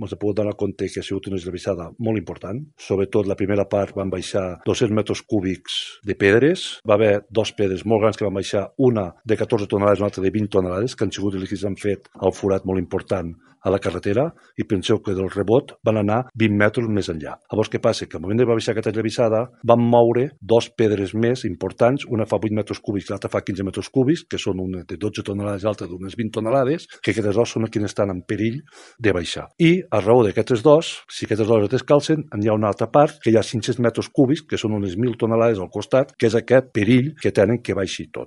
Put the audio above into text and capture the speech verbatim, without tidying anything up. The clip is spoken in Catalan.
ens hem pogut donar compte que ha sigut una esllavissada molt important. Sobretot la primera part van baixar dos-cents metres cúbics de pedres. Va haver dos pedres molt grans que van baixar, una de catorze tonelades i una altra de vint tonelades, que han sigut els que s'han fet al forat molt important a la carretera, i penseu que del rebot van anar vint metres més enllà. Llavors, què passa? Que al moment de va baixar aquesta esllavissada van moure dos pedres més importants, una fa vuit metres cúbics i l'altra fa quinze metres cúbics, que són una de dotze tonelades i l'altra d'unes vint tonelades, que aquestes dos són les que estan en perill de baixar. I a raó d'aquestes dos, si aquestes dos es descalcen, hi ha una altra part que hi ha cinc-cents metres cúbics, que són unes mil tonelades al costat, que és aquest perill que tenen que baixi tot.